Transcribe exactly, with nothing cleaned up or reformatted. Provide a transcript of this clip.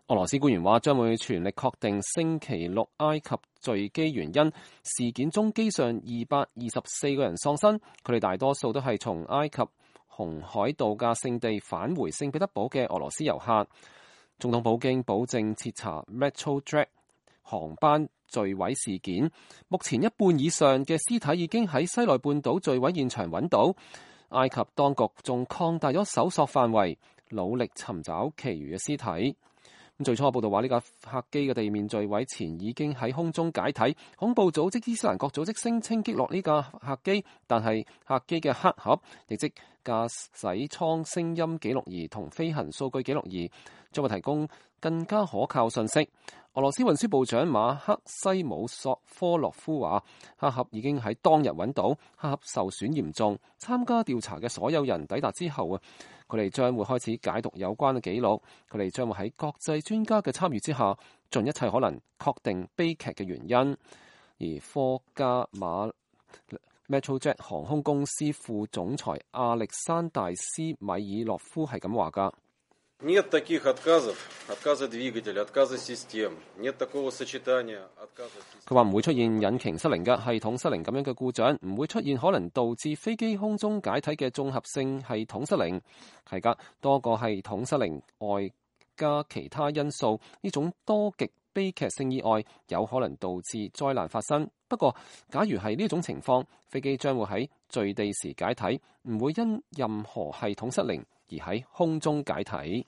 俄羅斯官員話將會全力確定星期六埃及墜機原因。事件中機上二百二十四個人喪生，佢哋大多數都係從埃及紅海度假勝地返回聖彼得堡嘅俄羅斯遊客。總統普京保證徹查 Metrojet 航班墜毀事件。目前一半以上嘅屍體已經喺西奈半島墜毀現場揾到。埃及當局仲擴大咗搜索範圍，努力尋找其餘嘅屍體。最初報道話呢架客機嘅地面墜毀前已經喺空中解體。恐怖組織伊斯蘭國組織聲稱擊落呢架客機，但係客機嘅黑盒，亦即駕駛艙聲音記錄儀同飛行數據記錄儀，將會提供更加可靠信息。俄羅斯運輸部長馬克西姆索科洛夫話，黑盒已經喺當日揾到，黑盒受損嚴重。參加調查嘅所有人抵達之後啊，佢哋將會開始解讀有關嘅記錄。佢哋將會喺國際專家嘅參與之下，盡一切可能確定悲劇嘅原因。而科加馬 Metrojet 航空公司副總裁亞歷山大斯米爾洛夫係咁話㗎。Нет таких отказов, отказа двигателя, отказа систем. Нет такого сочетания отказа систем. 佢話唔會出現引擎失靈嘅系統失靈咁樣嘅故障，唔會出現可能導致飛機空中解體嘅綜合性系統失靈。係㗎，多個系統失靈外加其他因素，呢種多極悲劇性意外有可能導致災難發生。不過，假如係呢種情況，飛機將會喺墜地時解體，唔會因任何系統失靈而喺空中解體。